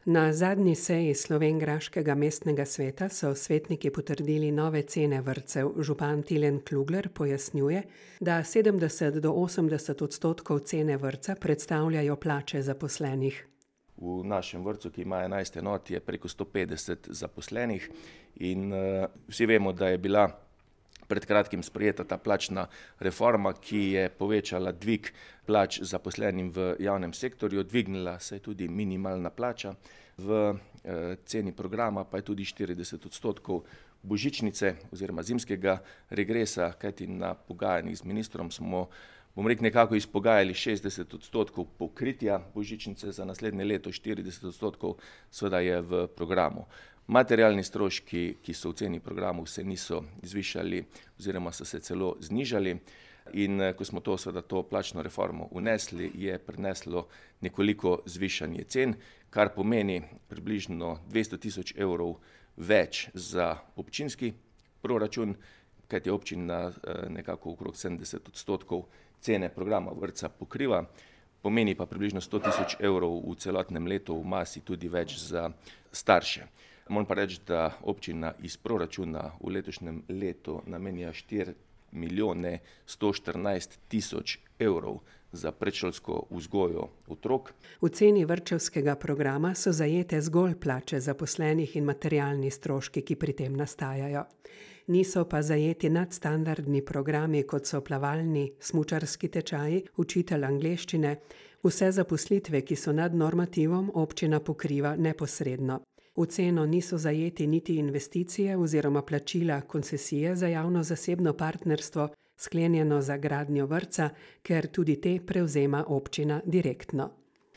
Na zadnji seji slovenjgraškega mestnega sveta so svetniki potrdili nove cene vrtcev. Župan Tilen Klugler pojasnjuje, da 70 do 80% cene vrtca predstavljajo plače zaposlenih. V našem vrtcu, ki ima 11 enot, je preko 150 zaposlenih in vsi vemo, da je bila pred kratkim sprejeta ta plačna reforma, ki je povečala dvig plač zaposlenim v javnem sektorju, dvignila se je tudi minimalna plača, v ceni programa pa je tudi 40% božičnice oziroma zimskega regresa, kajti na pogajanjih z ministrom smo nekako izpogajali 60% pokritja božičnice za naslednje leto, 40% seveda je v programu. Materialni stroški, ki so v ceni programu, se niso zvišali oziroma so se celo znižali in ko smo to plačno reformo vnesli, je prineslo nekoliko zvišanje cen, kar pomeni približno 200 tisoč evrov več za občinski proračun, kajti občina nekako okrog 70% cene programa vrtca pokriva, pomeni pa približno 100 tisoč evrov v celotnem letu v masi tudi več za starše. Moram pa reči, da občina iz proračuna v letošnjem letu namenja 4 milijone 114 tisoč evrov za predšolsko vzgojo otrok. V ceni vrtčevskega programa so zajete zgolj plače zaposlenih in materialni stroški, ki pri tem nastajajo. Niso pa zajeti nadstandardni programi, kot so plavalni, smučarski tečaji, učitelj angleščine. Vse zaposlitve, ki so nad normativom, občina pokriva neposredno. V ceno niso zajeti niti investicije oziroma plačila koncesije za javno-zasebno partnerstvo, sklenjeno za gradnjo vrtca, ker tudi te prevzema občina direktno.